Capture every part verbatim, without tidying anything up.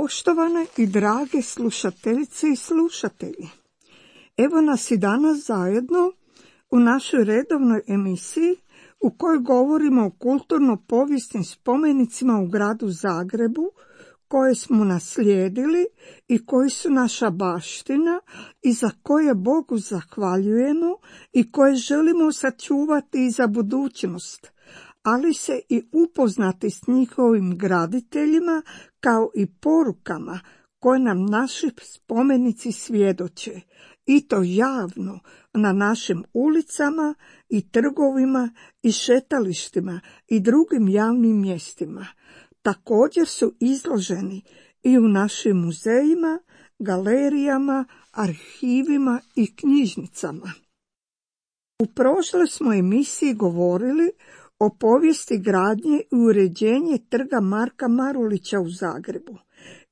Poštovane i drage slušateljice i slušatelji, evo nas i danas zajedno u našoj redovnoj emisiji u kojoj govorimo o kulturno-povijesnim spomenicima u gradu Zagrebu koje smo naslijedili i koji su naša baština i za koje Bogu zahvaljujemo i koje želimo sačuvati i za budućnost, ali se i upoznati s njihovim graditeljima kao i porukama koje nam naši spomenici svjedoče, i to javno na našim ulicama i trgovima i šetalištima i drugim javnim mjestima. Također su izloženi i u našim muzejima, galerijama, arhivima i knjižnicama. U prošloj smo emisiji govorili o povijesti gradnje i uređenje trga Marka Marulića u Zagrebu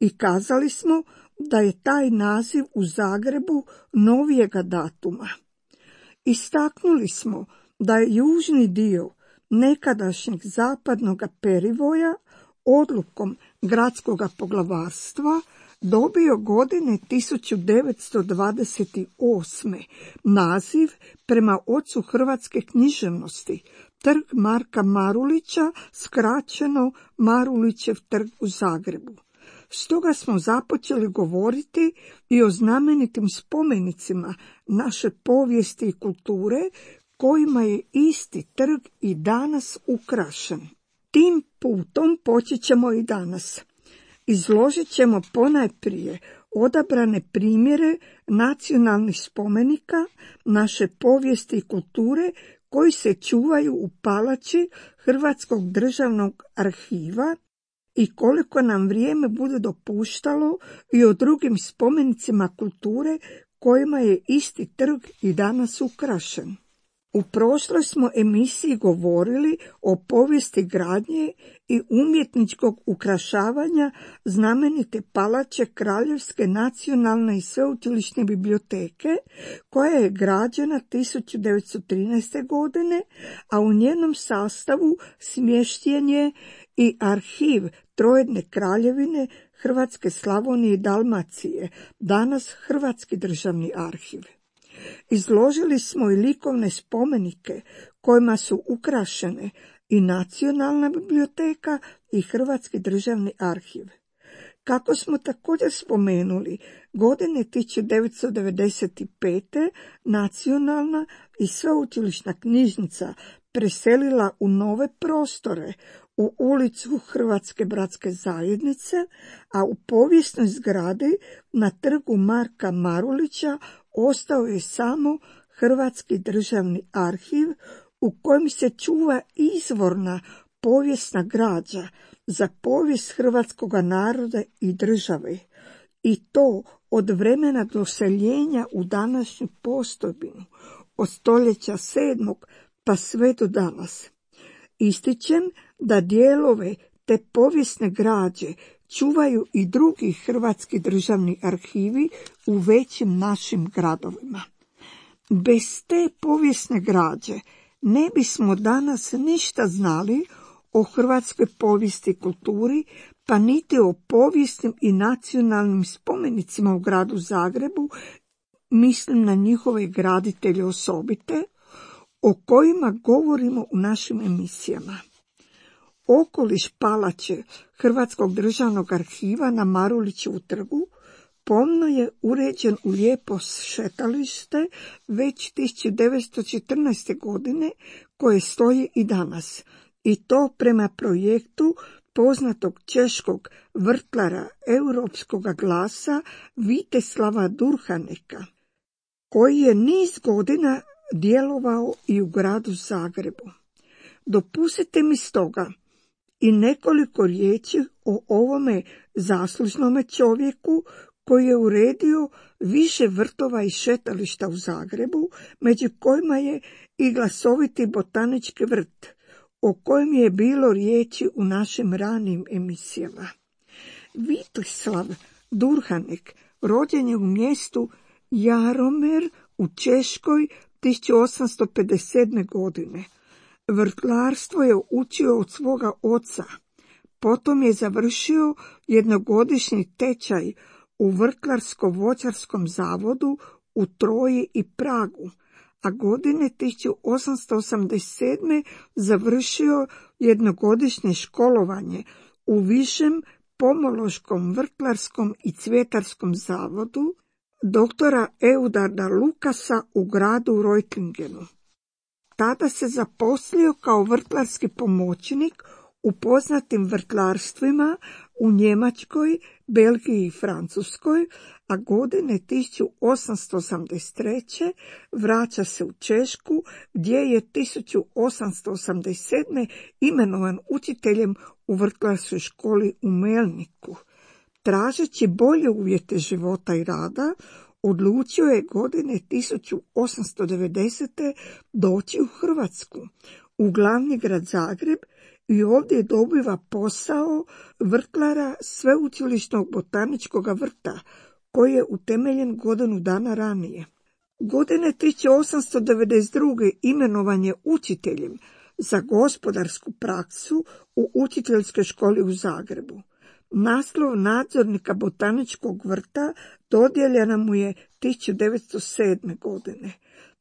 i kazali smo da je taj naziv u Zagrebu novijega datuma. Istaknuli smo da je južni dio nekadašnjeg zapadnog perivoja odlukom gradskog poglavarstva dobio godine tisuću devetsto dvadeset osme naziv prema ocu hrvatske književnosti, trg Marka Marulića, skraćeno Marulićev trg u Zagrebu. Stoga smo započeli govoriti i o znamenitim spomenicima naše povijesti i kulture kojima je isti trg i danas ukrašen. Tim putom počet ćemo i danas. Izložit ćemo ponajprije odabrane primjere nacionalnih spomenika naše povijesti i kulture koji se čuvaju u palači Hrvatskog državnog arhiva i koliko nam vrijeme bude dopuštalo i o drugim spomenicima kulture kojima je isti trg i danas ukrašen. U prošloj smo emisiji govorili o povijesti gradnje i umjetničkog ukrašavanja znamenite palače Kraljevske nacionalne i sveučilišne biblioteke, koja je građena tisuću devetsto trinaeste. godine, a u njenom sastavu smješten je i arhiv Trojedne kraljevine Hrvatske, Slavonije i Dalmacije, danas Hrvatski državni arhiv. Izložili smo i likovne spomenike kojima su ukrašene i Nacionalna biblioteka i Hrvatski državni arhiv. Kako smo također spomenuli, godine tisuću devetsto devedeset pete. Nacionalna i sveučilišna knjižnica preselila u nove prostore u ulicu Hrvatske bratske zajednice, a u povijesnoj zgradi na trgu Marka Marulića ostao je samo Hrvatski državni arhiv u kojem se čuva izvorna povijesna građa za povijest hrvatskog naroda i države, i to od vremena doseljenja u današnju postojbinu, od stoljeća sedmog pa sve do danas. Ističem da dijelove te povijesne građe čuvaju i drugi hrvatski državni arhivi u većim našim gradovima. Bez te povijesne građe ne bismo danas ništa znali o hrvatskoj povijesti i kulturi, pa niti o povijesnim i nacionalnim spomenicima u gradu Zagrebu, mislim na njihove graditelje osobite, o kojima govorimo u našim emisijama. Okoliš palače Hrvatskog državnog arhiva na Marulićevu trgu pomno je uređen u lijepo šetalište već tisuću devetsto četrnaeste. godine, koje stoji i danas, i to prema projektu poznatog češkog vrtlara europskoga glasa Viteslava Durhaneka, koji je niz godina djelovao i u gradu Zagrebu. Dopustite mi stoga i nekoliko riječi o ovome zaslužnome čovjeku koji je uredio više vrtova i šetališta u Zagrebu, među kojima je i glasoviti botanički vrt, o kojem je bilo riječi u našim ranijim emisijama. Viteslav Durhanek rođen je u mjestu Jaromer u Češkoj tisuću osamsto pedeset sedme. godine. Vrtlarstvo je učio od svoga oca, Potom je završio jednogodišnji tečaj u Vrtlarsko-voćarskom zavodu u Troji i Pragu, a godine tisuću osamsto osamdeset sedme završio jednogodišnje školovanje u Višem pomološkom, vrtlarskom i cvjetarskom zavodu doktora Eudarda Lukasa u gradu Reutlingenu. Tada se zaposlio kao vrtlarski pomoćnik u poznatim vrtlarstvima u Njemačkoj, Belgiji i Francuskoj, a godine tisuću osamsto osamdeset treće vraća se u Češku, gdje je tisuću osamsto osamdeset sedme imenovan učiteljem u vrtlarskoj školi u Melniku. Tražeći bolje uvjete života i rada, odlučio je godine tisuću osamsto devedesete doći u Hrvatsku, u glavni grad Zagreb, i ovdje dobiva posao vrtlara Sveučilišnog botaničkog vrta, koji je utemeljen godinu dana ranije. Godine tisuću osamsto devedeset druge imenovan je učiteljem za gospodarsku praksu u učiteljskoj školi u Zagrebu. Naslov nadzornika botaničkog vrta dodijeljena mu je tisuću devetsto sedme. godine.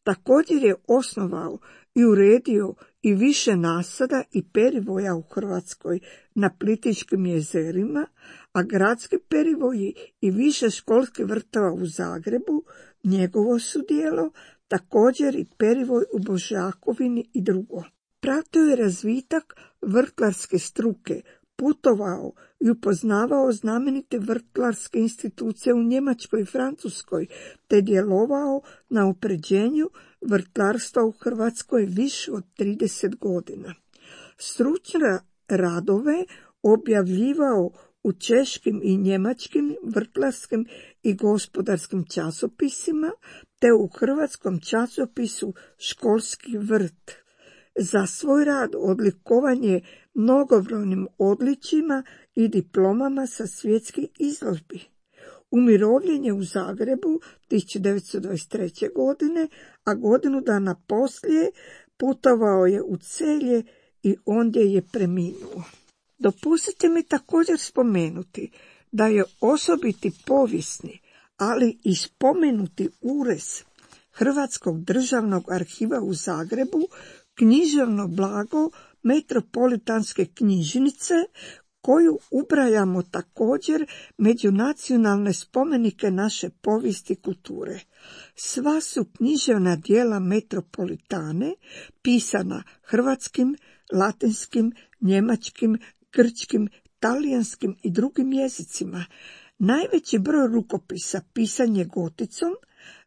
Također je osnovao i uredio i više nasada i perivoja u Hrvatskoj na Plitvičkim jezerima, a gradski perivoji i više školskih vrtova u Zagrebu njegovo su djelo, također i perivoj u Božjakovini i drugo. Pratio je razvitak vrtlarske struke, putovao i upoznavao znamenite vrtlarske institucije u Njemačkoj i Francuskoj, te djelovao na upređenju vrtlarstva u Hrvatskoj više od trideset godina. Stručne radove objavljivao u češkim i njemačkim vrtlarskim i gospodarskim časopisima, te u hrvatskom časopisu Školski vrt. Za svoj rad odlikovan je mnogobrojnim odličjima i diplomama sa svjetskih izložbi. Umirovljen je u Zagrebu tisuću devetsto dvadeset treće. godine, a godinu dana poslije putovao je u Celje i ondje je preminuo. Dopustite mi također spomenuti da je osobiti povijesni, ali i spomenuti urez Hrvatskog državnog arhiva u Zagrebu književno blago Metropolitanske knjižnice, koju ubrajamo također među nacionalne spomenike naše povijesti i kulture. Sva su književna djela Metropolitane pisana hrvatskim, latinskim, njemačkim, grčkim, talijanskim i drugim jezicima. Najveći broj rukopisa pisan je goticom,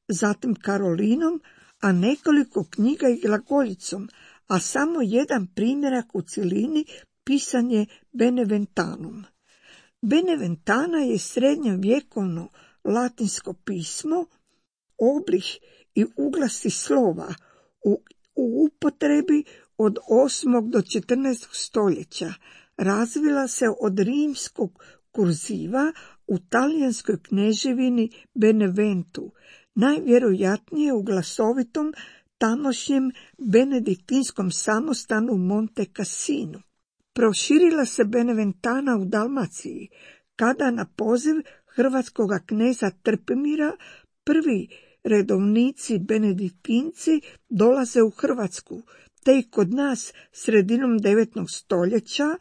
zatim karolinom, a nekoliko knjiga i glagoljicom, a samo jedan primjerak u cjelini pisan je Beneventanom. Beneventana je srednjovjekovno latinsko pismo, oblik i uglasi slova u, u upotrebi od osmog do četrnaestog stoljeća. Razvila se od rimskog kurziva u talijanskoj kneževini Beneventu, najvjerojatnije u glasovitom tamošnjem benediktinskom samostanu u Monte Cassinu. Proširila se Beneventana u Dalmaciji, kada na poziv hrvatskog kneza Trpimira prvi redovnici benediktinci dolaze u Hrvatsku, te i kod nas sredinom devetog stoljeća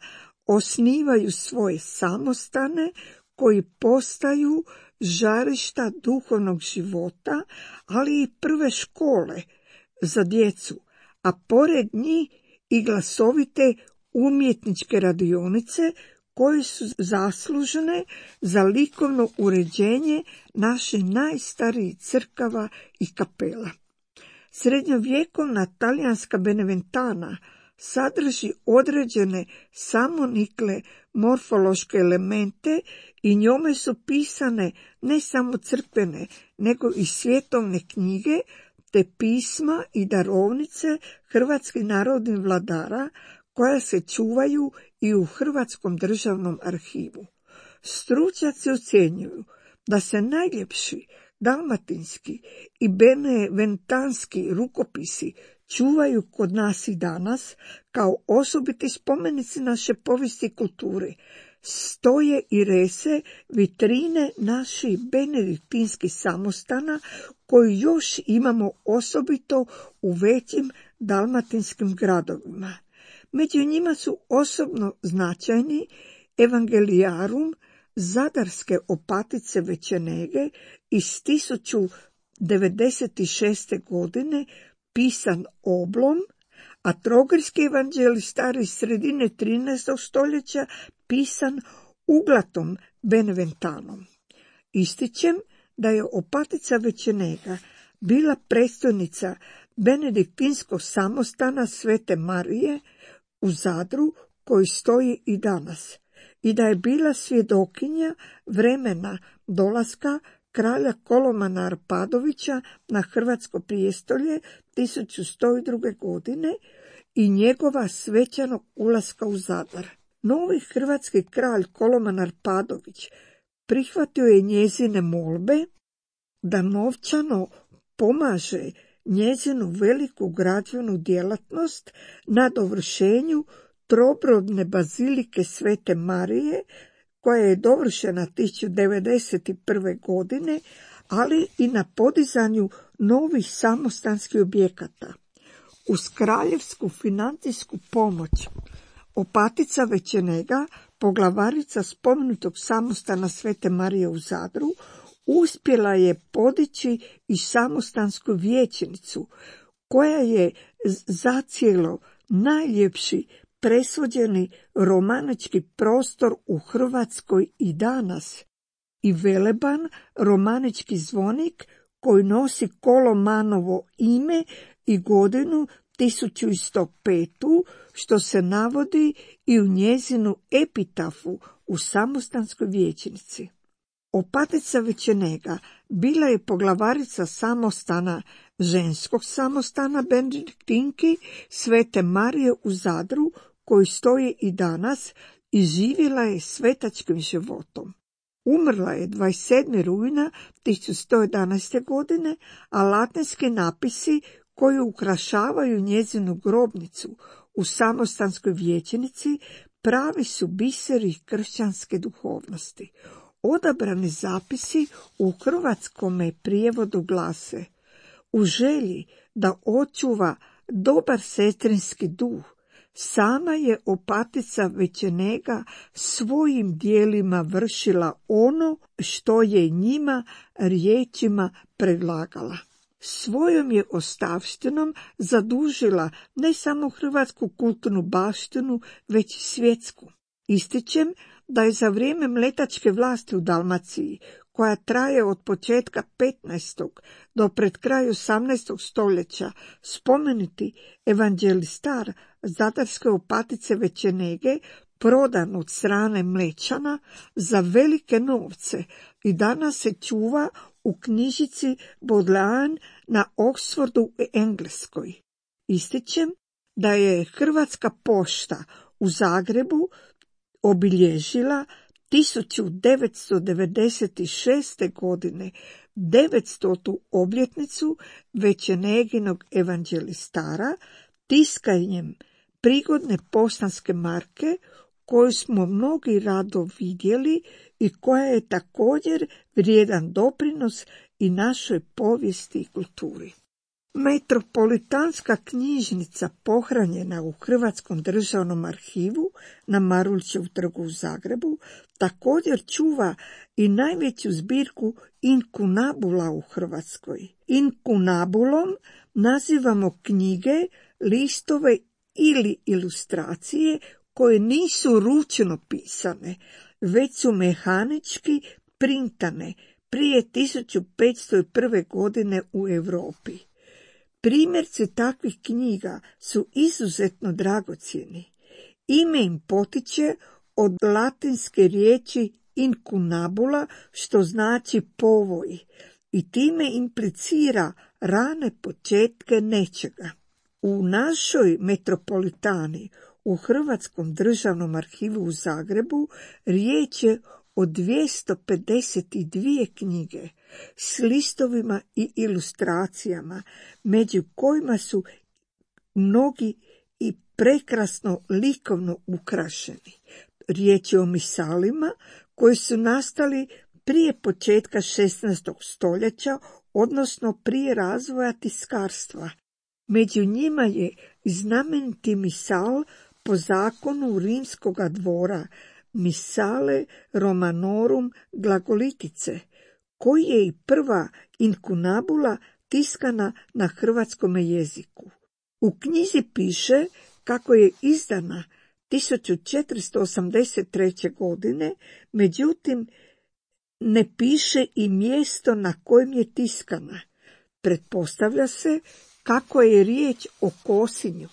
osnivaju svoje samostane koji postaju žarišta duhovnog života, ali i prve škole za djecu, a pored njih i glasovite umjetničke radionice koje su zaslužene za likovno uređenje naših najstarijih crkava i kapela. Srednjovjekovna talijanska Beneventana sadrži određene samonikle morfološke elemente i njome su pisane ne samo crkvene, nego i svjetovne knjige, te pisma i darovnice hrvatskih narodnih vladara, koja se čuvaju i u Hrvatskom državnom arhivu. Stručnjaci ocjenjuju da se najljepši Dalmatinski i beneventanski rukopisi čuvaju kod nas i danas kao osobiti spomenici naše povijesti i kulture. Stoje i rese vitrine naših benediktinskih samostana koji još imamo osobito u većim dalmatinskim gradovima. Među njima su osobno značajni Evangeliarum zadarske opatice Večenege iz tisuću devedeset šeste. godine, pisan oblom, a trogirski evanđelistar iz sredine trinaestog. stoljeća pisan uglatom Beneventanom. Ističem da je opatica Večenega bila predstojnica benediktinskog samostana Svete Marije u Zadru koji stoji i danas i da je bila svjedokinja vremena dolaska kralja Kolomana Arpadovića na hrvatsko prijestolje tisuću sto druge. godine i njegova svečanog ulaska u Zadar. Novi hrvatski kralj Koloman Arpadović prihvatio je njezine molbe da novčano pomaže njezinu veliku građevnu djelatnost na dovršenju trobrodne bazilike Svete Marije, koja je dovršena tisuću devedeset prve. godine, ali i na podizanju novih samostanskih objekata. Uz kraljevsku financijsku pomoć opatica Večenega, poglavarica spomenutog samostana Svete Marije u Zadru, uspjela je podići i samostansku vijećnicu, koja je zacijelo najljepši presvođeni romanički prostor u Hrvatskoj i danas, i veleban romanički zvonik koji nosi Kolomanovo ime i godinu tisuću sto petu. što se navodi i u njezinu epitafu u samostanskoj vijećnici. Opatica Večenega bila je poglavarica samostana, ženskog samostana Benediktinki Svete Marije u Zadru, koji stoji i danas, i živjela je svetačkim životom. Umrla je dvadeset sedmog rujna tisuću sto jedanaeste. godine, a latinski napisi koji ukrašavaju njezinu grobnicu u samostanskoj vijećnici pravi su biseri kršćanske duhovnosti. Odabrani zapisi u hrvatskome prijevodu glase: u želji da očuva dobar sestrinski duh, sama je opatica Večenega svojim dijelima vršila ono što je njima riječima predlagala. Svojom je ostavštinom zadužila ne samo hrvatsku kulturnu baštinu, već i svjetsku. Ističem da je za vrijeme mletačke vlasti u Dalmaciji, koja traje od početka petnaestog do pred kraj osamnaestog. stoljeća, spomenuti evanđelistar zadarske opatice Večenege prodan od strane Mlečana za velike novce i danas se čuva u knjižici Bodleian na Oxfordu u Engleskoj. Ističem da je Hrvatska pošta u Zagrebu obilježila tisuću devetsto devedeset šeste. godine devetstotu obljetnicu Večeneginog evanđelistara tiskanjem prigodne poštanske marke koju smo mnogi rado vidjeli i koja je također vrijedan doprinos i našoj povijesti i kulturi. Metropolitanska knjižnica pohranjena u Hrvatskom državnom arhivu na Marulićevu trgu u Zagrebu također čuva i najveću zbirku inkunabula u Hrvatskoj. Inkunabulom nazivamo knjige, listove ili ilustracije koje nisu ručno pisane, već su mehanički printane prije tisuću petsto prve. godine u Europi. Primjerci takvih knjiga su izuzetno dragocjeni. Ime im potiče od latinske riječi incunabula, što znači povoj, i time implicira rane početke nečega. U našoj metropolitani, u Hrvatskom državnom arhivu u Zagrebu, riječ je o dvjesto pedeset dvije knjige, s listovima i ilustracijama, među kojima su mnogi i prekrasno likovno ukrašeni. Riječ je o misalima koji su nastali prije početka šesnaestog stoljeća, odnosno prije razvoja tiskarstva. Među njima je znameniti misal po zakonu rimskoga dvora, Misale Romanorum Glagolitice, koji je i prva inkunabula tiskana na hrvatskom jeziku. U knjizi piše kako je izdana tisuću četiristo osamdeset treće. godine, međutim ne piše i mjesto na kojem je tiskana. Pretpostavlja se kako je riječ o Kosinju,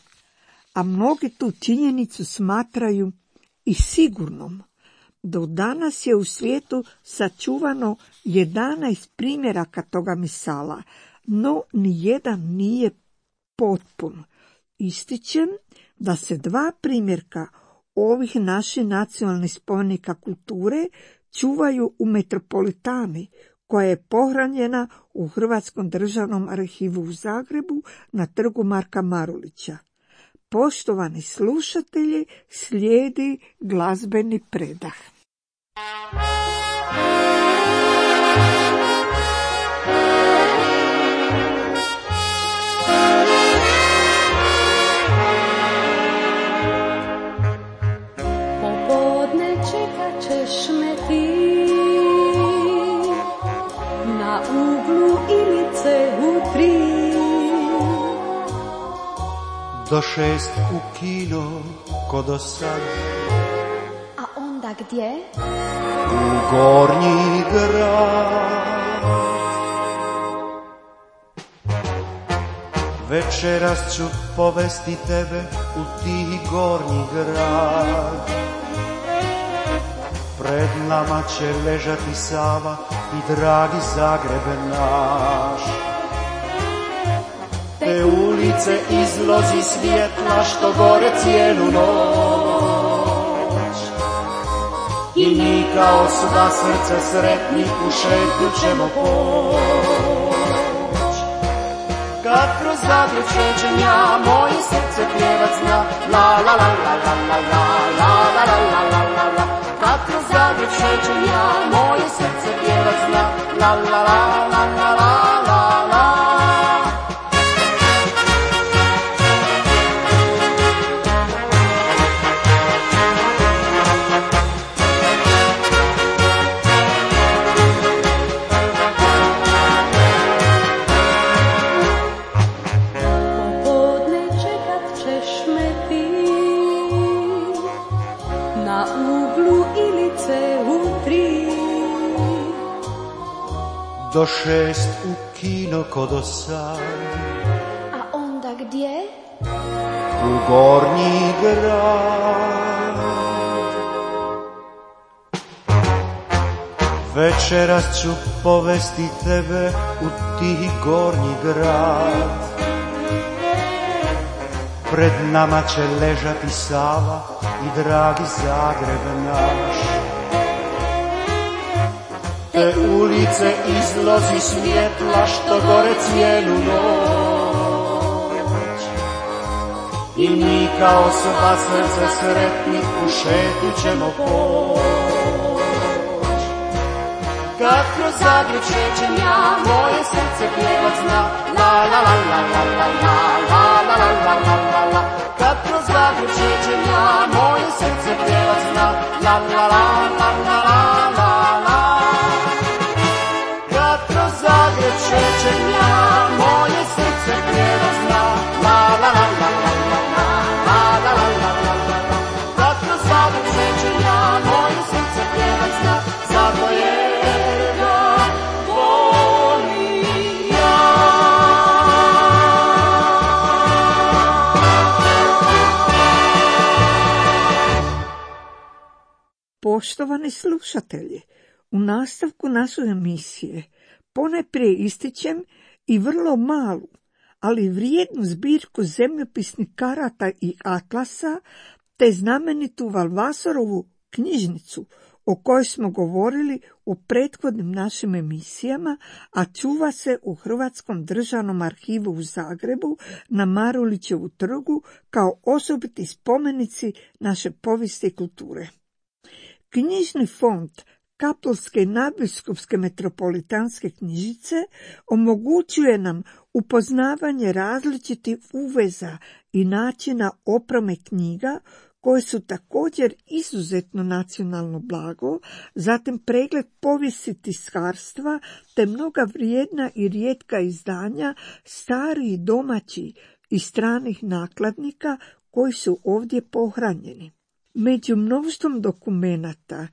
a mnogi tu činjenicu smatraju i sigurnom. Do danas je u svijetu sačuvano jedanaest primjeraka toga misala, no nijedan nije potpun. Ističem da se dva primjerka ovih naših nacionalnih spomenika kulture čuvaju u Metropolitani, koja je pohranjena u Hrvatskom državnom arhivu u Zagrebu na trgu Marka Marulića. Poštovani slušatelji, slijedi glazbeni predah. Popodne čekat ćeš me ti na uglu Ilice u tri. Do šest u kino ko do sad. A onda gdje? U Gornji grad. Večeras ću povesti tebe u ti Gornji grad. Pred nama će ležati Sava i dragi Zagrebe naš. Te ulice izlozi svjetla što gore cijelu noć. I mi kao sva srca sretni u šetnju ćemo poć. Kad kroz Zagreb šećem ja, moje srce pjevat zna. La la la la la la la la la la la la la. Kad kroz Zagreb šećem ja, moje srce pjevat zna. La la la la la la la la. Do šest u kino ko do sad. A onda gdje? U Gornji grad. Večeras ću povesti tebe u ti Gornji grad. Pred nama će ležati Sava i dragi Zagreb naš. Te ulice izlozi svjetla što gore cijelu noć. I mi kao sva srca sretni u šetnju ćemo poć. Kad kroz Zagreb šećem ja, moje srce pjevat zna. La la la la la la la la la la la la la. Kad kroz Zagreb šećem ja, moje srce pjevat zna. La la la la la la la la. Zagreb šećem ja, moje srce pjevat zna. La la la la la la la la la la la la la. Kad kroz Zagreb šećem ja, moje srce pjevat zna. Zato jer ga volim ja. Poštovani slušatelji, u nastavku naše emisije ponajprije ističem i vrlo malu, ali vrijednu zbirku zemljopisnih karata i atlasa, te znamenitu Valvasorovu knjižnicu o kojoj smo govorili u prethodnim našim emisijama, a čuva se u Hrvatskom državnom arhivu u Zagrebu na Marulićevu trgu kao osobiti spomenici naše povijesti i kulture. Knjižni fond Kaptolske i nadbiskupske metropolitanske knjižnice omogućuje nam upoznavanje različitih uveza i načina opreme knjiga koje su također izuzetno nacionalno blago, zatim pregled povijesti tiskarstva te mnoga vrijedna i rijetka izdanja starih domaćih i stranih nakladnika koji su ovdje pohranjeni. Među mnoštvom dokumenata,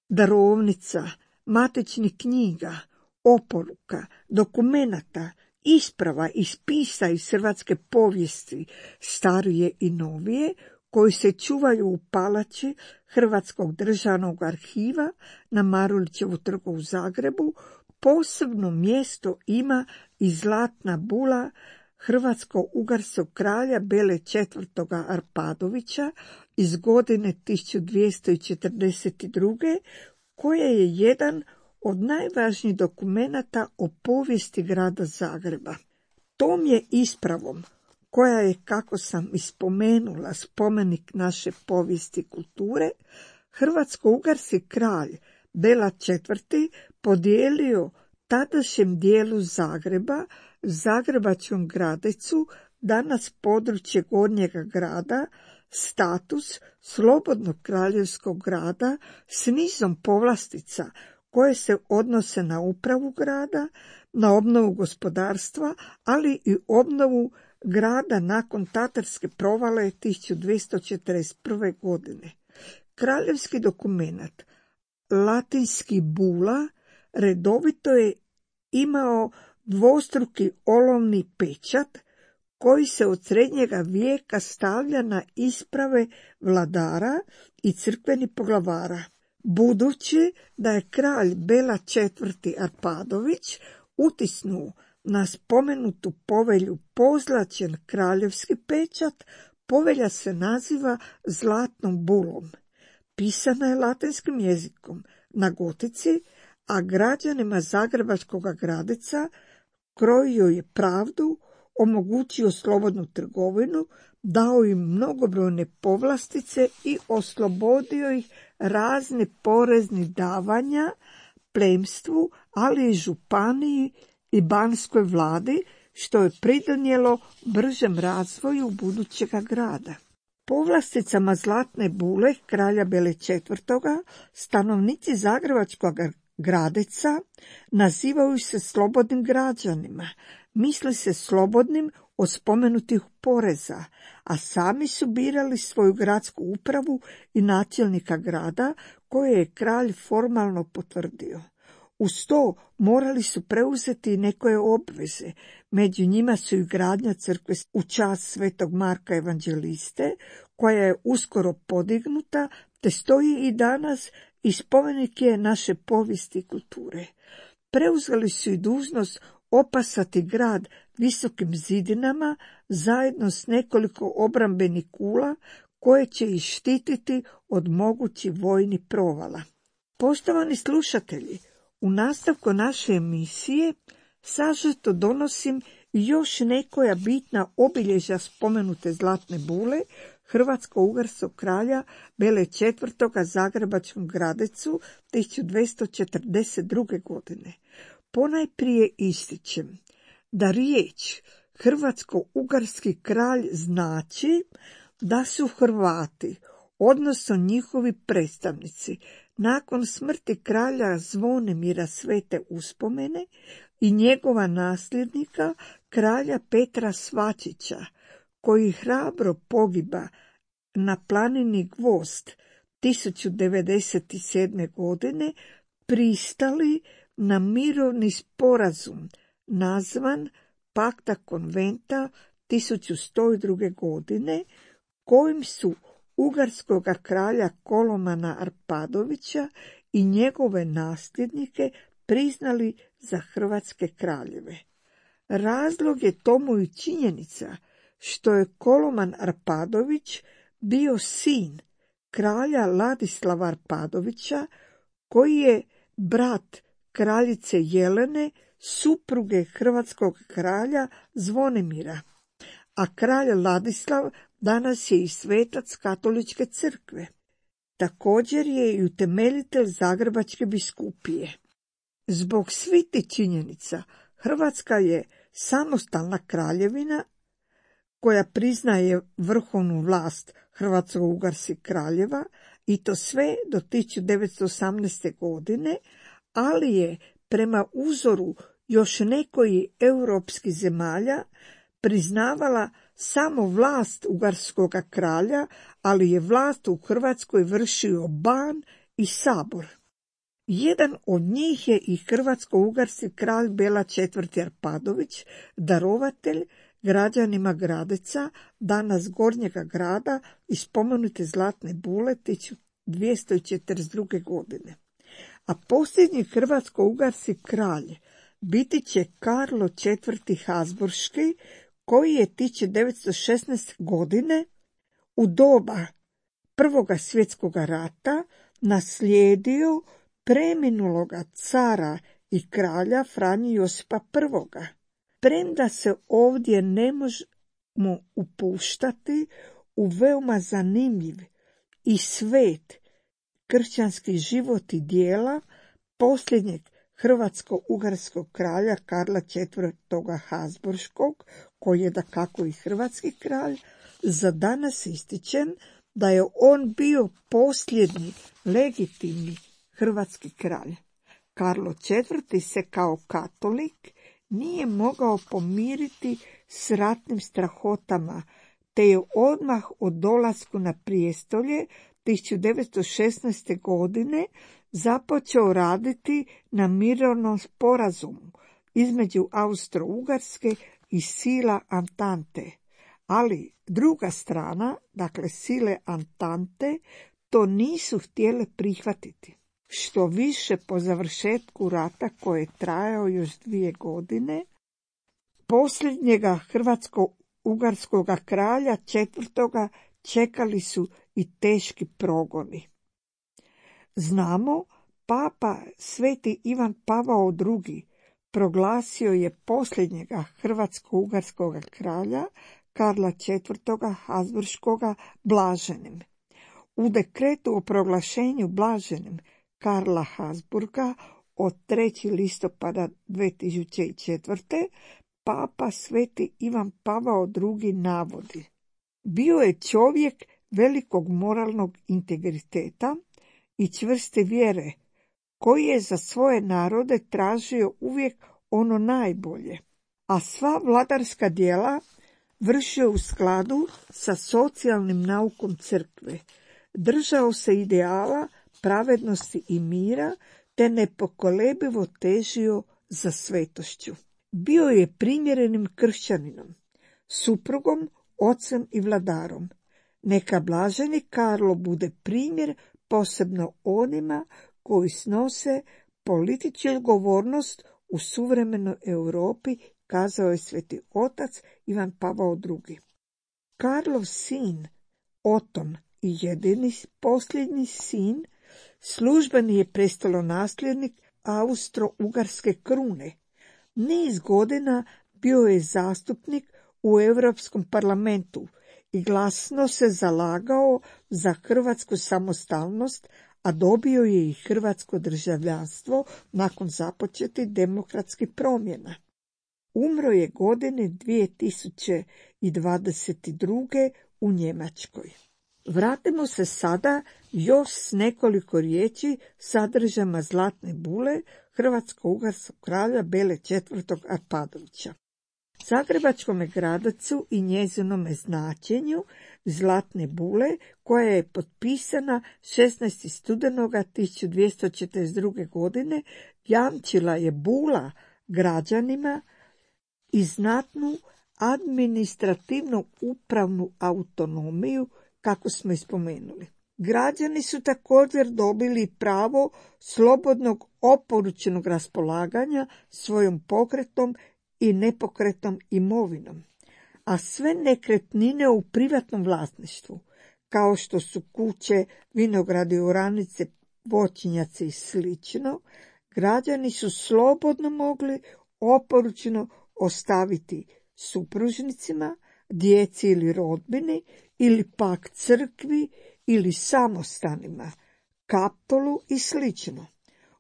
darovnica, matičnih knjiga, oporuka, dokumenata, isprava i spisa iz hrvatske povijesti, starije i novije, koji se čuvaju u palači Hrvatskog državnog arhiva na Marulićevu trgu u Zagrebu, posebno mjesto ima i zlatna bula hrvatsko-ugarskog kralja Bele četvrtoga Arpadovića iz godine tisuću dvjesto četrdeset druge, koja je jedan od najvažnijih dokumenata o povijesti grada Zagreba. Tom je ispravom, koja je, kako sam ispomenula, spomenik naše povijesti i kulture, hrvatsko-ugarski kralj Bela četvrti podijelio tadašnjem dijelu Zagreba, Zagrebačkom Gradecu, danas područje Gornjega grada, status slobodnog kraljevskog grada s nizom povlastica koje se odnose na upravu grada, na obnovu gospodarstva, ali i obnovu grada nakon tatarske provale tisuću dvjesto četrdeset prve. godine. Kraljevski dokumenat, latinski bula, redovito je imao dvostruki olovni pečat koji se od srednjega vijeka stavlja na isprave vladara i crkvenih poglavara. Budući da je kralj Bela četvrti Arpadović utisnuo na spomenutu povelju pozlaćen kraljevski pečat, povelja se naziva zlatnom bulom. Pisana je latinskim jezikom na gotici, a građanima Zagrebačkog Gradeca krojio je pravdu, omogućio slobodnu trgovinu, dao im mnogobrojne povlastice i oslobodio ih razne poreznih davanja plemstvu, ali i županiji i banskoj vladi, što je pridonijelo bržem razvoju budućega grada. Povlasticama zlatne bule kralja Bele četvrtoga stanovnici Zagrebačkog Gradeca nazivaju se slobodnim građanima, misli se slobodnim od spomenutih poreza, a sami su birali svoju gradsku upravu i načelnika grada koje je kralj formalno potvrdio. Uz to morali su preuzeti nekoje obveze, među njima su i gradnja crkve u čast svetog Marka Evanđeliste, koja je uskoro podignuta, te stoji i danas i spomenik je naše povijesti i kulture. Preuzeli su i dužnost opasati grad visokim zidinama zajedno s nekoliko obrambenih kula koje će ih štititi od mogućih vojnih provala. Poštovani slušatelji, u nastavku naše emisije sažeto donosim još nekoja bitna obilježja spomenute zlatne bule hrvatsko-ugarskog kralja Bele četvrtoga Zagrebačkom Gradecu tisuću dvjesto četrdeset druge. godine. Ponajprije ističem da riječ hrvatsko-ugarski kralj znači da su Hrvati, odnosno njihovi predstavnici, nakon smrti kralja Zvonimira Svete Uspomene i njegova nasljednika kralja Petra Svačića, koji hrabro pogiba na planini Gvozd tisuću devedeset sedme. godine, pristali na mirovni sporazum nazvan Pakta konventa tisuću sto druge. godine, kojim su ugarskog kralja Kolomana Arpadovića i njegove nasljednike priznali za hrvatske kraljeve. Razlog je tomu i činjenica što je Koloman Arpadović bio sin kralja Ladislava Arpadovića, koji je brat kraljice Jelene, supruge hrvatskog kralja Zvonimira, a kralj Ladislav danas je i svetac katoličke crkve. Također je i utemeljitelj Zagrebačke biskupije. Zbog svih tih činjenica Hrvatska je samostalna kraljevina koja priznaje vrhovnu vlast Hrvatsko-ugarskih kraljeva i to sve do tisuću devetsto osamnaeste. godine, ali je prema uzoru još nekoji europskih zemalja priznavala samo vlast ugarskog kralja, ali je vlast u Hrvatskoj vršio ban i sabor. Jedan od njih je i hrvatsko-ugarski kralj Bela četvrti. Arpadović, darovatelj građanima Gradeca, danas Gornjega grada, i spomenute Zlatne bule tisuću dvjesto četrdeset druge. godine. A posljednji hrvatsko-ugarski kralj biti će Karlo četvrti. Habsburški, koji je tisuću devetsto šesnaeste. godine u doba Prvoga svjetskog rata naslijedio preminuloga cara i kralja Franju Josipa I. Premda se ovdje ne možemo upuštati u veoma zanimljiv i svet kršćanski život i djela posljednjeg hrvatsko-ugarskog kralja Karla četvrtog. Habsburškog, koji je dakako i hrvatski kralj, za danas ističem da je on bio posljednji legitimni hrvatski kralj. Karlo četvrti. se kao katolik nije mogao pomiriti s ratnim strahotama, te je odmah od dolasku na prijestolje tisuću devetsto šesnaeste. godine započeo raditi na mirovnom sporazumu između Austro-Ugarske i sila Antante. Ali druga strana, dakle sile Antante, to nisu htjele prihvatiti. Što više, po završetku rata, koji je trajao još dvije godine, posljednjega hrvatsko-ugarskog kralja četvrtoga čekali su i teški progoni. Znamo, papa Sveti Ivan Pavao drugi. proglasio je posljednjega hrvatsko-ugarskog kralja Karla četvrtog. Habsburškoga blaženim. U dekretu o proglašenju blaženim Karla Habsburga od trećeg listopada dvije tisuće četvrte. papa Sveti Ivan Pavao drugi. navodi: bio je čovjek velikog moralnog integriteta i čvrste vjere, koji je za svoje narode tražio uvijek ono najbolje, a sva vladarska djela vršio u skladu sa socijalnim naukom crkve. Držao se ideala pravednosti i mira, te nepokolebivo težio za svetošću. Bio je primjerenim kršćaninom, suprugom, ocem i vladarom. Neka blaženi Karlo bude primjer posebno onima koji snose političku odgovornost u suvremenoj Europi, kazao je sveti otac Ivan Pavao drugi. Karlov sin Oton i jedini posljednji sin službeni je prestolonasljednik Austro-Ugarske krune. Niz godina bio je zastupnik u Europskom parlamentu i glasno se zalagao za hrvatsku samostalnost, a dobio je i hrvatsko državljanstvo nakon započetih demokratskih promjena. Umro je godine dvije tisuće dvadeset druge. u Njemačkoj. Vratimo se sada još s nekoliko riječi sadržajima Zlatne bule hrvatsko-ugarskog kralja Bele četvrtog. Arpadovića. Zagrebačkome Gradacu i njezinome značenju Zlatne bule, koja je potpisana šesnaestog studenoga tisuću dvjesto četrdeset druge. godine, jamčila je bula građanima i znatnu administrativnu upravnu autonomiju, kako smo ispomenuli. Građani su također dobili pravo slobodnog oporučenog raspolaganja svojom pokretnom i nepokretnom imovinom, a sve nekretnine u privatnom vlasništvu, kao što su kuće, vinogradi, oranice, voćnjaci i slično, građani su slobodno mogli oporučno ostaviti supružnicima, djeci ili rodbini, ili pak crkvi ili samostanima, kaptolu i slično.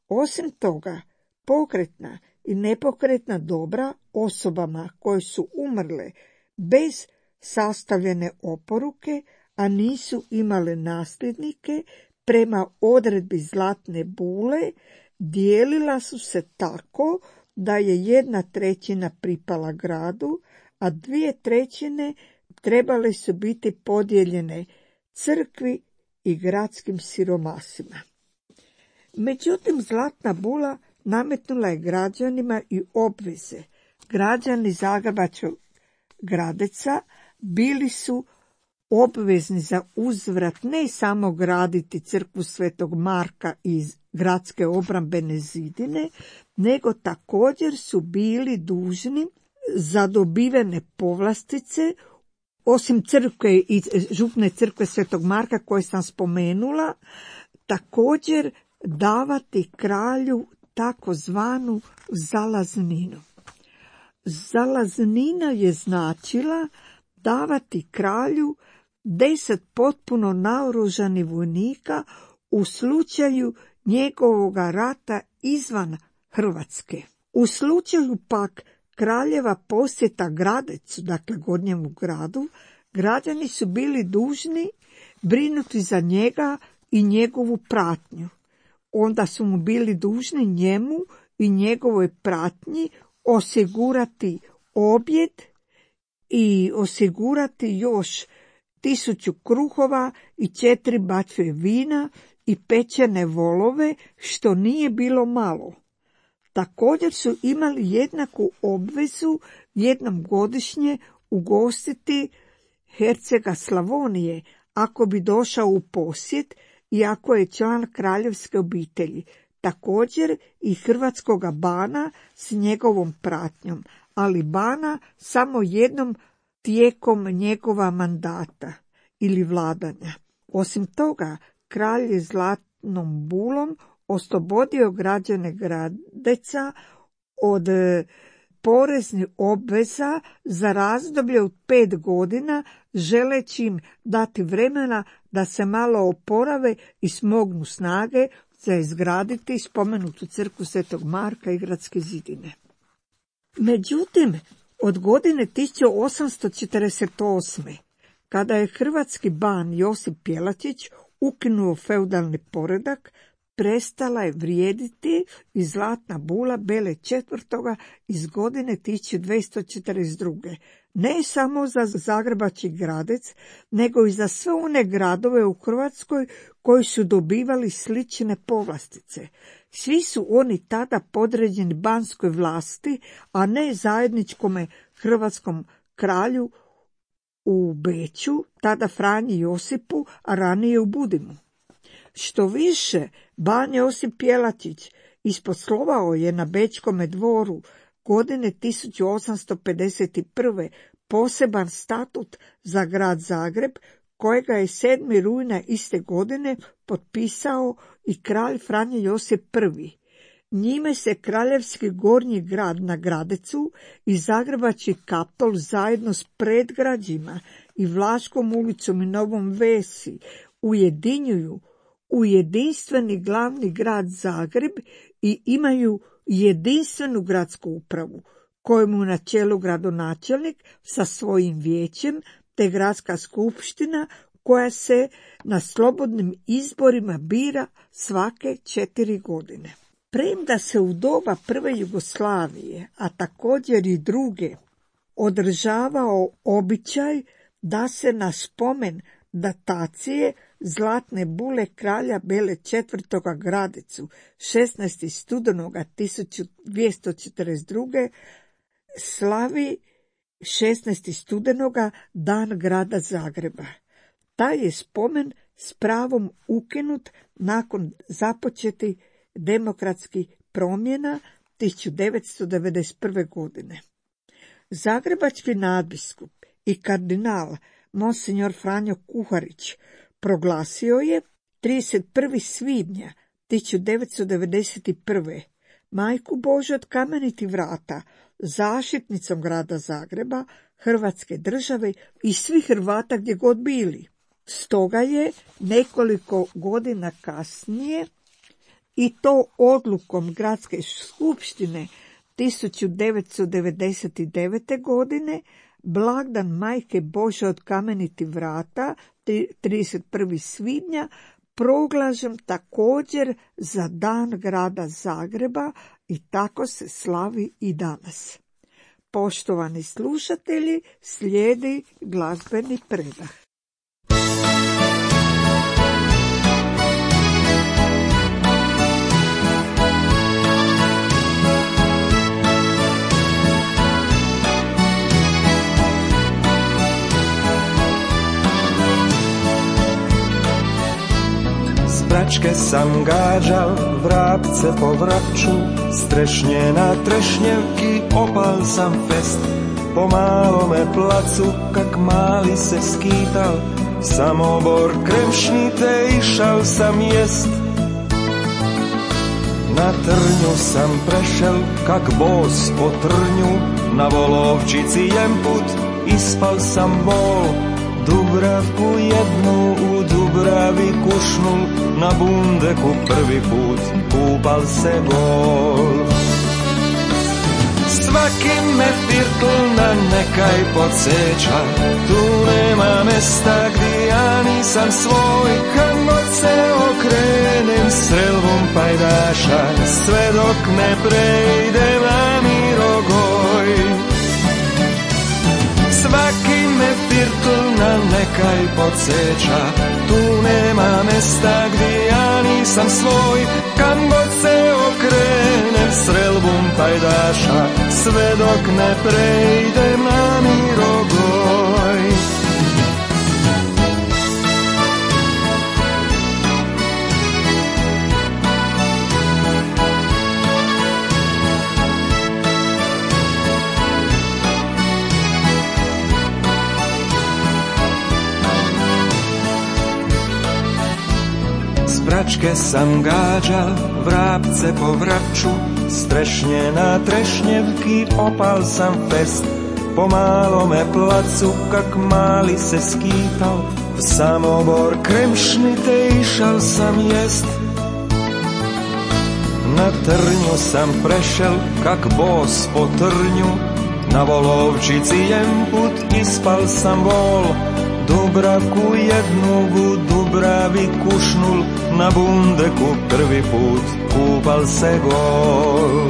Osim toga, pokretna i nepokretna dobra osobama koje su umrle bez sastavljene oporuke, a nisu imale nasljednike, prema odredbi Zlatne bule, dijelila su se tako da je jedna trećina pripala gradu, a dvije trećine trebale su biti podijeljene crkvi i gradskim siromasima. Međutim, Zlatna bula nametnula je građanima i obveze. Građani Zagrebačkog Gradeca bili su obvezni za uzvrat ne samo graditi crkvu Svetog Marka iz gradske obrambene zidine, nego također su bili dužni za dobivene povlastice, osim crkve i župne crkve Svetog Marka koje sam spomenula, također davati kralju takozvanu zalazninu. Zalaznina je značila davati kralju deset potpuno naoružanih vojnika u slučaju njegovoga rata izvan Hrvatske. U slučaju pak kraljeva posjeta Gradecu, dakle Gornjemu gradu, građani su bili dužni brinuti za njega i njegovu pratnju. Onda su mu bili dužni njemu i njegovoj pratnji osigurati objed i osigurati još tisuću kruhova i četiri bačve vina i pečene volove, što nije bilo malo. Također su imali jednaku obvezu jednom godišnje ugostiti hercega Slavonije, ako bi došao u posjet i ako je član kraljevske obitelji, također i hrvatskoga bana s njegovom pratnjom, ali bana samo jednom tijekom njegova mandata ili vladanja. Osim toga, kralj je Zlatnom bulom oslobodio građane Gradeca od poreznih obveza za razdoblje od pet godina, želeći im dati vremena da se malo oporave i smognu snage za izgraditi spomenutu crkvu Svetog Marka i gradske zidine. Međutim, od godine tisuću osamsto četrdeset osme. kada je hrvatski ban Josip Jelačić ukinuo feudalni poredak, prestala je vrijediti i Zlatna bula Bele četvrtoga iz godine tisuću dvjesto četrdeset druge. Ne samo za Zagrebački Gradec, nego i za sve one gradove u Hrvatskoj koji su dobivali slične povlastice. Svi su oni tada podređeni banskoj vlasti, a ne zajedničkome hrvatskom kralju u Beču, tada Franji Josipu, a ranije u Budimu. Što više, ban Josip Jelačić isposlovao je na Bečkome dvoru godine tisuću osamsto pedeset prve poseban statut za grad Zagreb, kojega je sedmog rujna iste godine potpisao i kralj Franjo Josip prvi. Njime se kraljevski gornji grad na Gradecu i Zagrebački Kaptol zajedno s predgrađima i Vlaškom ulicom i Novom Vesi ujedinjuju u jedinstveni glavni grad Zagreb i imaju jedinstvenu gradsku upravu, kojemu na čelu gradonačelnik sa svojim vijećem, te gradska skupština koja se na slobodnim izborima bira svake četiri godine. Premda se u doba prve Jugoslavije, a također i druge, održavao običaj da se na spomen datacije Zlatne bule kralja Bele četvrtoga Gradecu šesnaestog studenoga tisuću dvjesto četrdeset druge slavi šesnaestog studenoga dan grada Zagreba. Taj je spomen s pravom ukinut nakon započetih demokratskih promjena tisuću devetsto devedeset prve godine. Zagrebački nadbiskup i kardinal monsignor Franjo Kuharić, proglasio je trideset prvog svibnja tisuću devetsto devedeset prve. Majku Božju od Kamenitih vrata zaštitnicom grada Zagreba, Hrvatske države i svih Hrvata gdje god bili. Stoga je nekoliko godina kasnije, i to odlukom Gradske skupštine tisuću devetsto devedeset devete. godine, blagdan Majke Božje od Kamenitih vrata trideset prvog svibnja proglašen također za dan grada Zagreba i tako se slavi i danas. Poštovani slušatelji, slijedi glazbeni predah. Pračke sam gađal, vrapce po vrapču, strešnje na trešnjevki, opal sam fest. Po malome placu, kak mali se skital, samobor kremšnite išao sam jest. Na trnju sam prešel, kak bos po trnju, na volovčici jemput, ispal sam bol. Dubravku jednu u Dubravi kušnul, na bundeku prvi put kupal se gol. Svaki me firtl na nekaj podsjeća, tu nema mesta gdje ja nisam svoj. Kad god se okrenem srelvom pajdaša, sve dok ne prejdem na Mirogoj. Svaki me firtl na nekaj podsjeća, tu nema mesta gdje ja nisam svoj. Kam god se okrenem srelbom pajdaša, sve dok ne prejdem na Mirogoj. Pračke sam gađal, vrapce po vrapču, strešnje na trešnjevki, opal sam fest. Po malome placu, kak mali se skital, v samobor kremšnite išao sam jest. Na trnju sam prešel, kak bos po trnju, na volovčici jemput ispal sam bol. Dubravku jednu u Dubravi kušnul, na bundeku prvi put kupal se gol.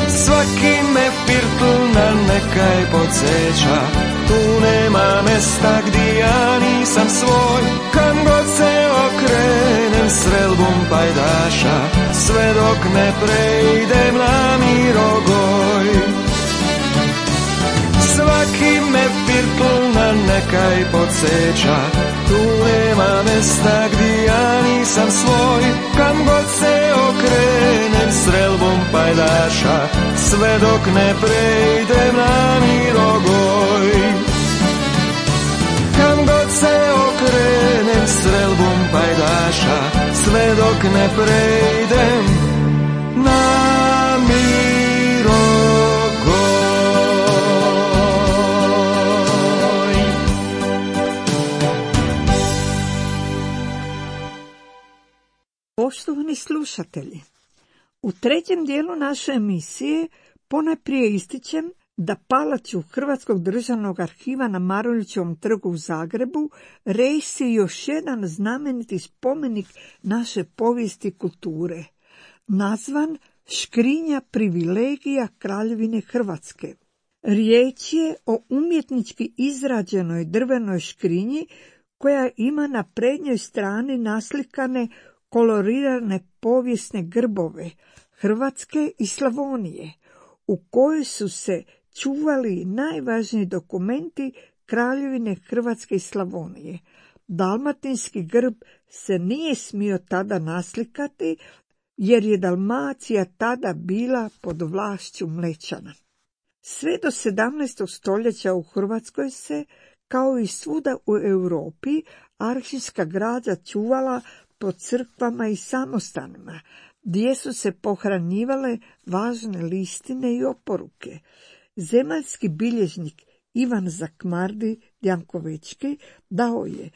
Svaki me firtl na nekaj podsjeća, tu nema mesta gdje ja nisam svoj. Kam god se okrenem srelbom pajdaša, sve dok ne prejdem na Mirogoj. Svaki me firtl na nekaj podsjeća, tu nema mesta gdje ja nisam svoj. Kam god se okrenem srelbom pajdaša, sve dok ne prejdem na Mirogoj. Kam god se okrenem srelbom pajdaša, sve dok ne prejdem na Mirogoj. Poštovani slušatelji, u trećem dijelu naše emisije ponajprije ističem da palaču Hrvatskog državnog arhiva na Marulićevom trgu u Zagrebu rejsi još jedan znameniti spomenik naše povijesti i kulture, nazvan Škrinja privilegija Kraljevine Hrvatske. Riječ je o umjetnički izrađenoj drvenoj škrinji koja ima na prednjoj strani naslikane kolorirane povijesne grbove Hrvatske i Slavonije, u kojoj su se čuvali najvažniji dokumenti Kraljevine Hrvatske i Slavonije. Dalmatinski grb se nije smio tada naslikati, jer je Dalmacija tada bila pod vlašću Mlečana. Sve do sedamnaestog stoljeća u Hrvatskoj se, Kao i svuda u Europi, arhivska građa čuvala po crkvama i samostanima, gdje su se pohranjivale važne listine i oporuke. Zemaljski bilježnik Ivan Zakmardi Jankovečki dao je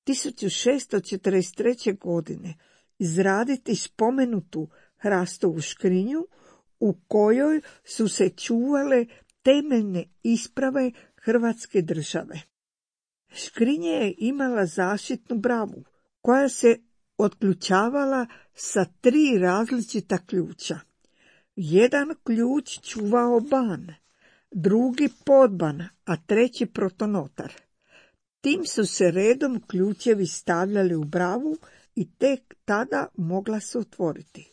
tisuću šesto četrdeset treće. godine izraditi spomenutu hrastovu škrinju u kojoj su se čuvale temeljne isprave Hrvatske države. Škrinja je imala zaštitnu bravu koja se otključavala sa tri različita ključa. Jedan ključ čuvao ban, drugi podban, a treći protonotar. Tim su se redom ključevi stavljali u bravu i tek tada mogla se otvoriti.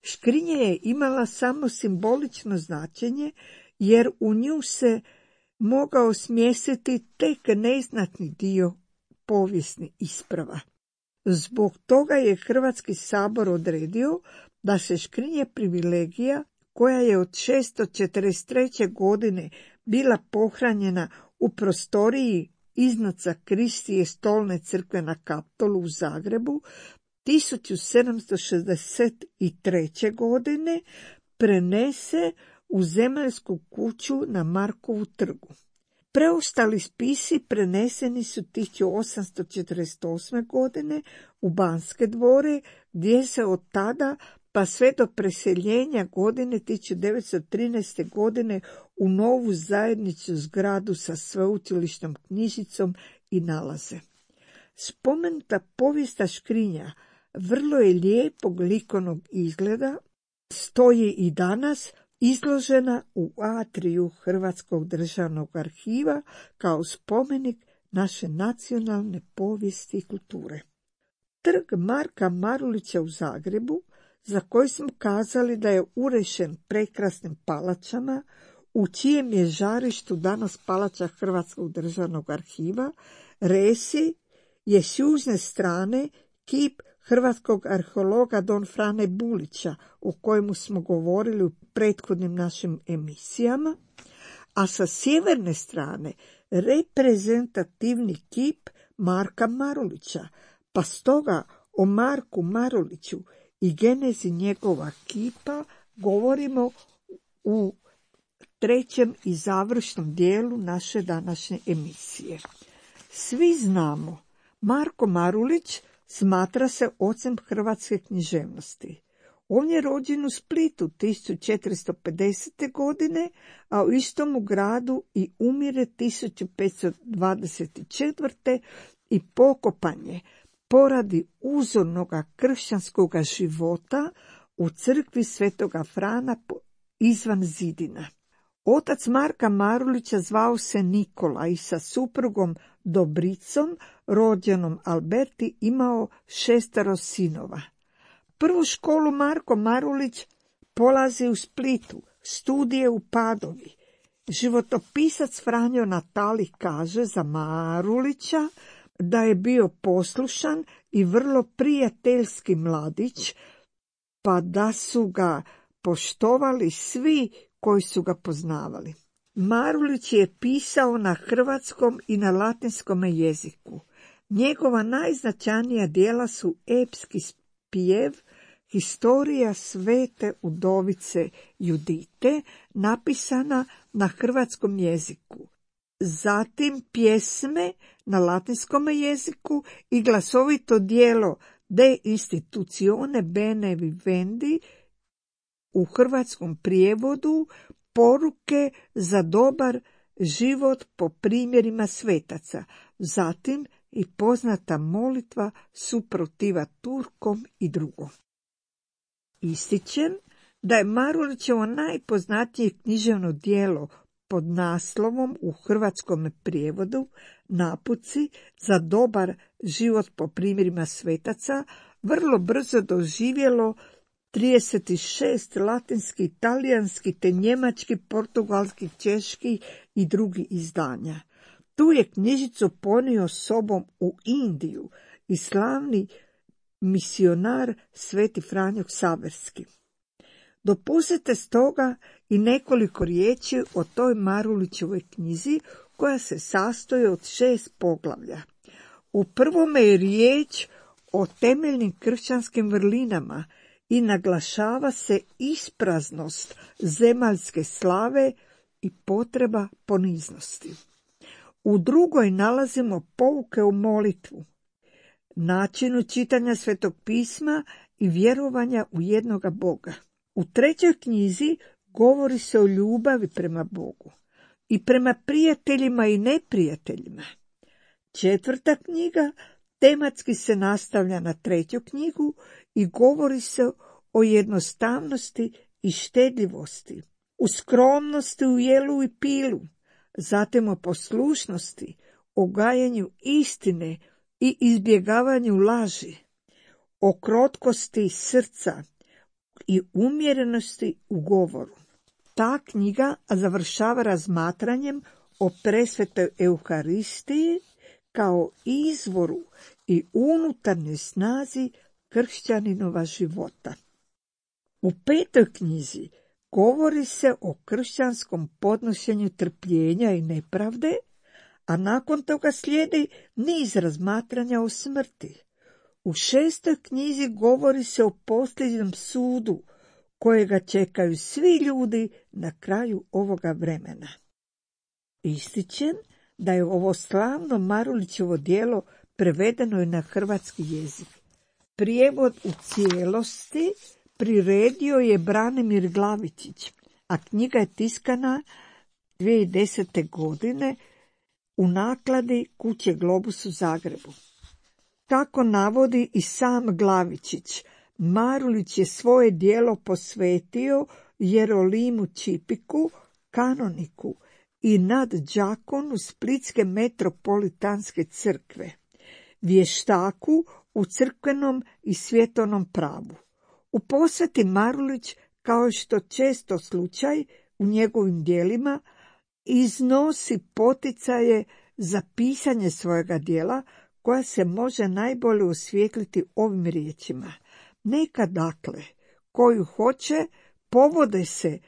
Škrinja je imala samo simbolično značenje, jer u nju se mogao smjestiti tek neznatni dio povijesnih isprava. Zbog toga je Hrvatski sabor odredio da se škrinje privilegija, koja je od šesto četrdeset treće. godine bila pohranjena u prostoriji iznad Sakristije Stolne crkve na Kaptolu u Zagrebu, tisuću sedamsto šezdeset treće. godine prenese u Zemaljsku kuću na Markovu trgu. Preostali spisi preneseni su tisuću osamsto četrdeset osme. godine u Banske dvore, gdje se od tada pa sve do preseljenja godine tisuću devetsto trinaeste. godine u novu zajedničku zgradu sa sveučilišnom knjižicom i nalaze. Spomenuta povijesna škrinja vrlo je lijepog likovnog izgleda, stoji i danas izložena u atriju Hrvatskog državnog arhiva kao spomenik naše nacionalne povijesti i kulture. Trg Marka Marulića u Zagrebu, za koji smo kazali da je urešen prekrasnim palačama, u čijem je žarištu danas palača Hrvatskog državnog arhiva, resi je s južne strane kip hrvatskog arheologa don Frane Bulića, o kojemu smo govorili u prethodnim našim emisijama, a sa sjeverne strane reprezentativni kip Marka Marulića, pa stoga o Marku Maruliću i genezi njegova kipa govorimo u trećem i završnom dijelu naše današnje emisije. Svi znamo, Marko Marulić smatra se ocem hrvatske književnosti. On je rođen u Splitu tisuću četiristo pedesete. godine, a u istom gradu i umire tisuću petsto dvadeset četvrte. i pokopan je poradi uzornoga kršćanskoga života u crkvi Svetoga Frana izvan zidina. Otac Marka Marulića zvao se Nikola i sa suprugom Dobricom, rođenom Alberti, imao šestero sinova. Prvu školu Marko Marulić polazi u Splitu, studije u Padovi. Životopisac Franjo Natali kaže za Marulića da je bio poslušan i vrlo prijateljski mladić, pa da su ga poštovali svi koji su ga poznavali. Marulić je pisao na hrvatskom i na latinskom jeziku. Njegova najznačajnija djela su epski spjev, Historija svete udovice Judite, napisana na hrvatskom jeziku. Zatim pjesme na latinskom jeziku i glasovito djelo De institutione bene vivendi u hrvatskom prijevodu, poruke za dobar život po primjerima svetaca. Zatim i poznata molitva suprotiva Turkom i drugo. Ističem da je Marulićevo najpoznatije književno djelo pod naslovom u hrvatskom prijevodu Naputci za dobar život po primjerima svetaca vrlo brzo doživjelo trideset šest latinski, talijanski te njemački, portugalski, češki i drugi izdanja. Tu je knjižicu ponio sobom u Indiju i slavni misionar Sveti Franjo Ksaverski. Dopustite stoga i nekoliko riječi o toj Marulićevoj knjizi koja se sastoji od šest poglavlja. U prvome je riječ o temeljnim kršćanskim vrlinama i naglašava se ispraznost zemaljske slave i potreba poniznosti. U drugoj nalazimo pouke u molitvu, načinu čitanja Svetog pisma i vjerovanja u jednoga Boga. U trećoj knjizi govori se o ljubavi prema Bogu i prema prijateljima i neprijateljima. Četvrta knjiga tematski se nastavlja na treću knjigu i govori se o jednostavnosti i štedljivosti, u skromnosti u jelu i pilu, zatim o poslušnosti, o gajenju istine i izbjegavanju laži, o krotkosti srca i umjerenosti u govoru. Ta knjiga završava razmatranjem o presvetoj Euharistiji kao izvoru i unutarnjoj snazi kršćaninova života. U petoj knjizi govori se o kršćanskom podnošenju trpljenja i nepravde, a nakon toga slijedi niz razmatranja o smrti. U šestoj knjizi govori se o posljednjem sudu, kojega čekaju svi ljudi na kraju ovoga vremena. Ističem da je ovo slavno Marulićevo djelo prevedeno i na hrvatski jezik. Prijevod u cijelosti priredio je Branimir Glavičić, a knjiga je tiskana dvije tisuće desete. godine u nakladi Kuće Globus u Zagrebu. Kako navodi i sam Glavičić, Marulić je svoje djelo posvetio Jerolimu Čipiku, kanoniku i nadđakonu Splitske metropolitanske crkve, vještaku u crkvenom i svjetovnom pravu. U posveti Marulić, kao što često slučaj u njegovim djelima, iznosi poticaje za pisanje svojega djela, koja se može najbolje osvijetliti ovim riječima. Neka dakle, koju hoće, povode se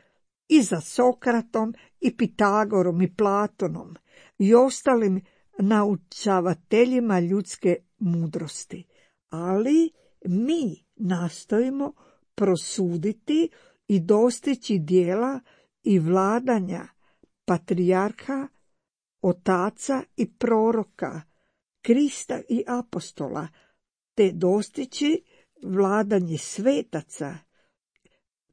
i za Sokratom i Pitagorom i Platonom i ostalim naučavateljima ljudske mudrosti. Ali mi nastojimo prosuditi i dostići djela i vladanja patrijarha, otaca i proroka, Krista i apostola, te dostići vladanje svetaca,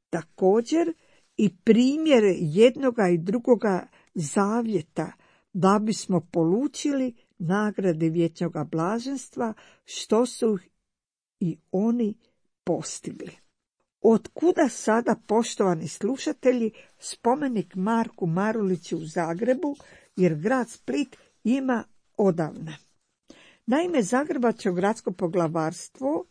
također i primjere jednoga i drugoga zavjeta, da bismo polučili nagrade vječnoga blaženstva, što su i oni postigli. Otkuda sada, poštovani slušatelji, spomenik Marku Maruliću u Zagrebu, jer grad Split ima odavna? Naime, Zagrebačko gradsko poglavarstvo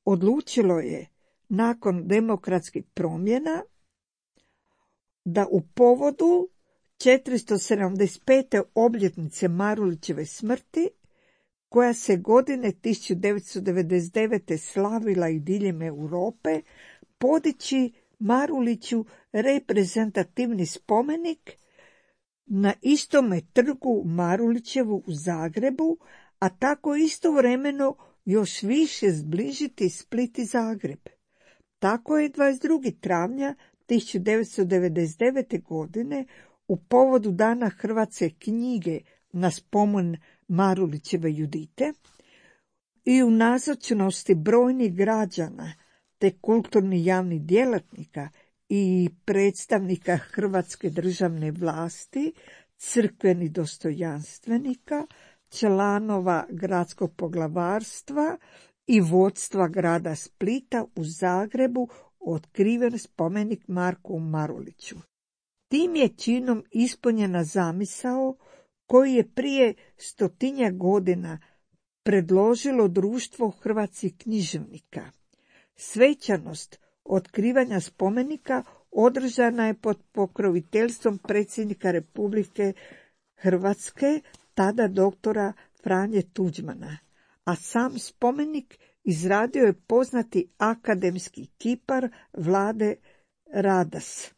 odlučilo je, nakon demokratskih promjena, da u povodu četiristo sedamdeset pete obljetnice Marulićeve smrti, koja se godine tisuću devetsto devedeset devete. slavila i diljem Europe, podići Maruliću reprezentativni spomenik na istome trgu Marulićevu u Zagrebu, a tako istovremeno još više zbližiti Split i Zagreb. Tako je dvadeset drugog travnja tisuću devetsto devedeset devete. godine u povodu Dana hrvatske knjige na spomen Marulićeve Judite i u nazočnosti brojnih građana te kulturnih javnih djelatnika i predstavnika hrvatske državne vlasti, crkvenih dostojanstvenika, članova gradskog poglavarstva i vodstva grada Splita u Zagrebu otkriven spomenik Marku Maruliću. Tim je činom ispunjena zamisao koju je prije stotinjak godina predložilo Društvo hrvatskih književnika. Svečanost otkrivanja spomenika održana je pod pokroviteljstvom predsjednika Republike Hrvatske, tada doktora Franje Tuđmana, a sam spomenik izradio je poznati akademski kipar Vlade Radas.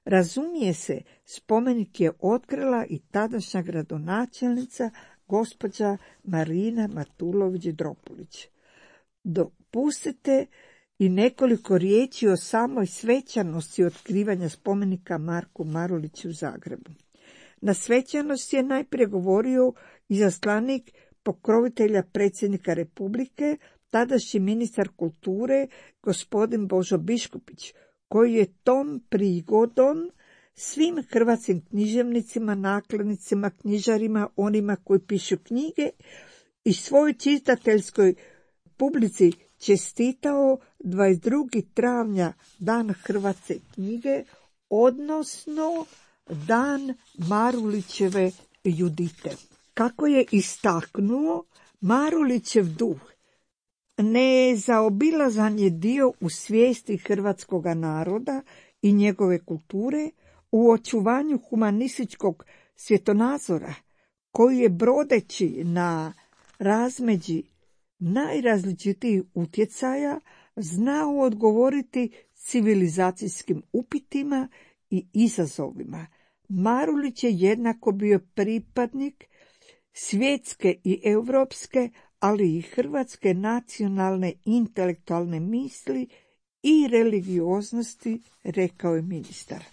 Razumije se, spomenik je otkrila i tadašnja gradonačelnica gospođa Marina Matulović-Dropulić. Dopustite i nekoliko riječi o samoj svečanosti otkrivanja spomenika Marku Maruliću u Zagrebu. Na svečanosti je najprije govorio izaslanik pokrovitelja predsjednika Republike, tadašnji ministar kulture, gospodin Božo Biškupić, koji je tom prigodom svim hrvatskim književnicima, nakladnicima, knjižarima, onima koji pišu knjige i svojoj čitateljskoj publici čestitao dvadeset drugog travnja dan hrvatske knjige, odnosno dan Marulićeve Judite. Kako je istaknuo, Marulićev duh nezaobilazan je dio u svijesti hrvatskoga naroda i njegove kulture, u očuvanju humanističkog svjetonazora, koji je brodeći na razmeđi najrazličitijih utjecaja znao odgovoriti civilizacijskim upitima i izazovima. Marulić je jednako bio pripadnik svjetske i europske, ali i hrvatske nacionalne intelektualne misli i religioznosti, rekao je ministar.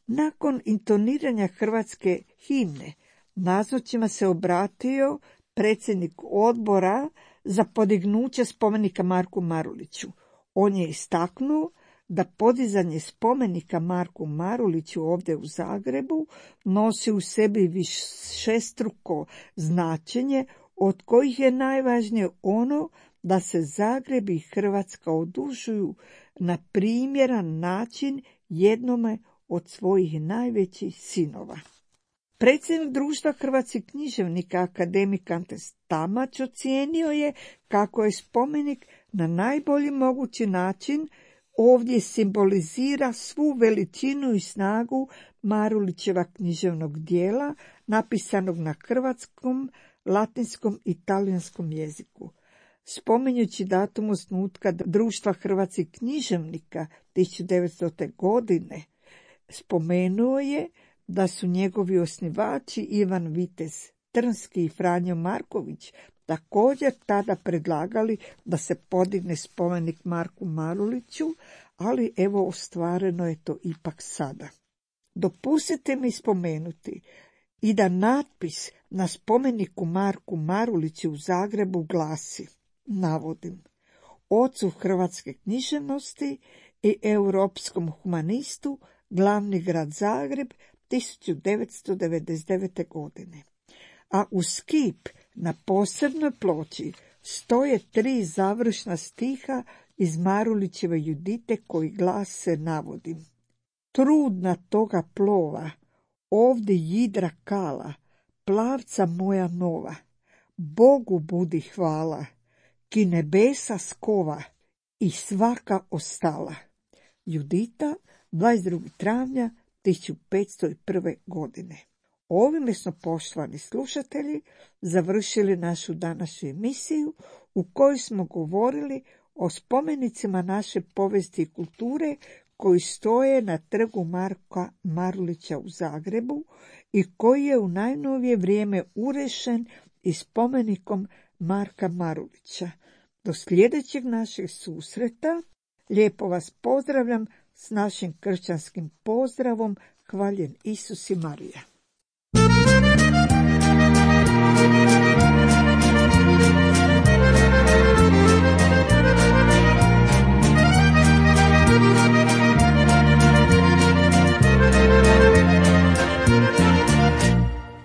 Nakon intoniranja hrvatske himne, nazočima se obratio predsjednik odbora za podignuće spomenika Marku Maruliću. On je istaknuo da podizanje spomenika Marku Maruliću ovdje u Zagrebu nosi u sebi višestruko značenje, od kojih je najvažnije ono da se Zagreb i Hrvatska odužuju na primjeran način jednome od svojih najvećih sinova. Predsjednik društva hrvatskih književnika, akademik Ante Stamač, ocijenio je kako je spomenik na najbolji mogući način ovdje simbolizira svu veličinu i snagu Marulićeva književnog dijela, napisanog na hrvatskom, latinskom i talijanskom jeziku. Spominjući datum osnutka društva hrvatskih književnika tisuću devetstote. godine, spomenuo je da su njegovi osnivači Ivan Vitez Trnski i Franjo Marković također tada predlagali da se podigne spomenik Marku Maruliću, ali evo ostvareno je to ipak sada. Dopustite mi spomenuti i da natpis na spomeniku Marku Maruliću u Zagrebu glasi, navodim, ocu hrvatske književnosti i europskom humanistu, glavni grad Zagreb, tisuću devetsto devedeset devete. godine. A uz kip na posebnoj ploči stoje tri završna stiha iz Marulićeve Judite koji glase, navodim, trudna toga plova, ovdje jidra kala, plavca moja nova, Bogu budi hvala, ki nebesa skova i svaka ostala. Judita, dvadeset drugog travnja tisuću petsto prve. godine. Ovime smo, poštovani slušatelji, završili našu današnju emisiju u kojoj smo govorili o spomenicima naše povijesti i kulture koji stoje na trgu Marka Marulića u Zagrebu i koji je u najnovije vrijeme urešen i spomenikom Marka Marulića. Do sljedećeg našeg susreta lijepo vas pozdravljam s našim kršćanskim pozdravom, hvaljen Isus i Marija.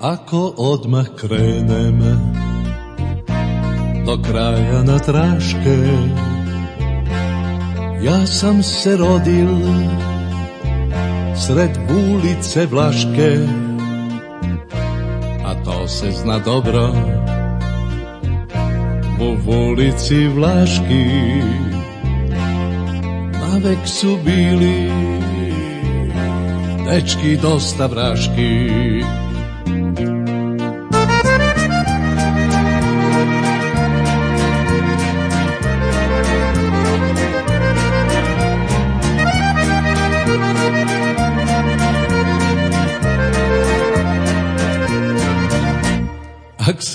Ako odmah krenem do kraja na traške, ja sam se rodil sred ulice Vlaške, a to se zna dobro u ulici Vlaški. Navek su bili dečki dosta vraški,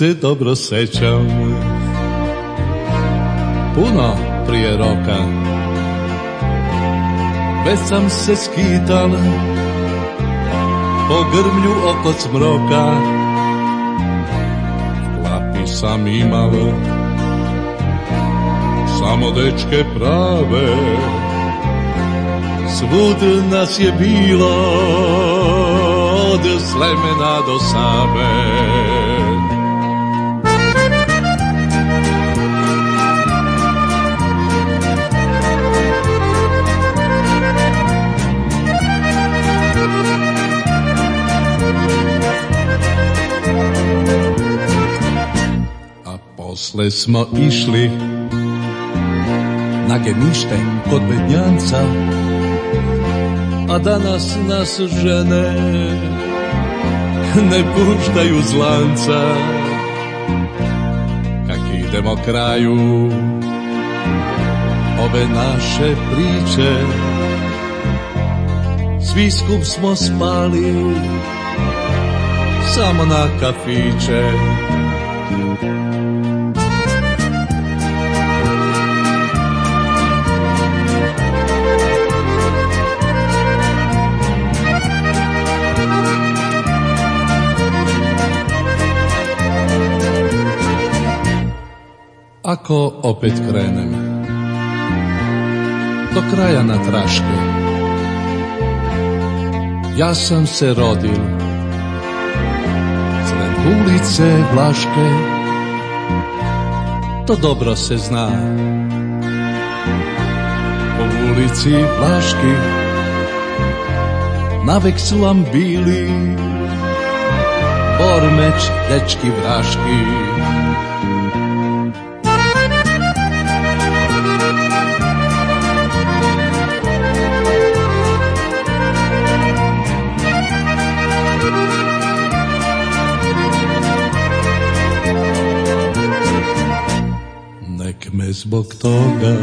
se dobro sećam, puno prije roka, već sam se skital po grmlju oko smroka. V klapi sam imal samo dečke prave, svud nas je bilo od Slemena do Save. A posle smo išli na gemište kod Bednjanca, a danas nas žene ne puštaju z lanca. Kak idemo kraju ove naše priče, svi skup smo spali samo na kafiće. Ako opet krenem do kraja na traške, ja sam se rodil sred ulice Vlaške, to dobro se zna. Po ulici Vlaški navek su vam bili Bormeć, dečki vraški. Nek me zbog toga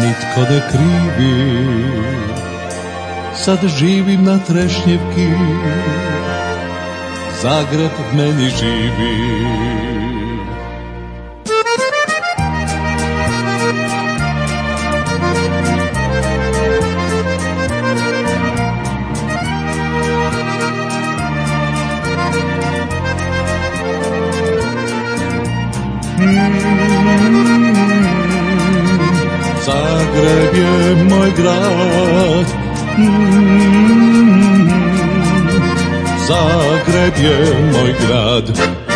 nitko ne krivi, sad živim na Trešnjevki, Zagreb meni živi. Zagreb je moj grad, Zagreb je moj grad.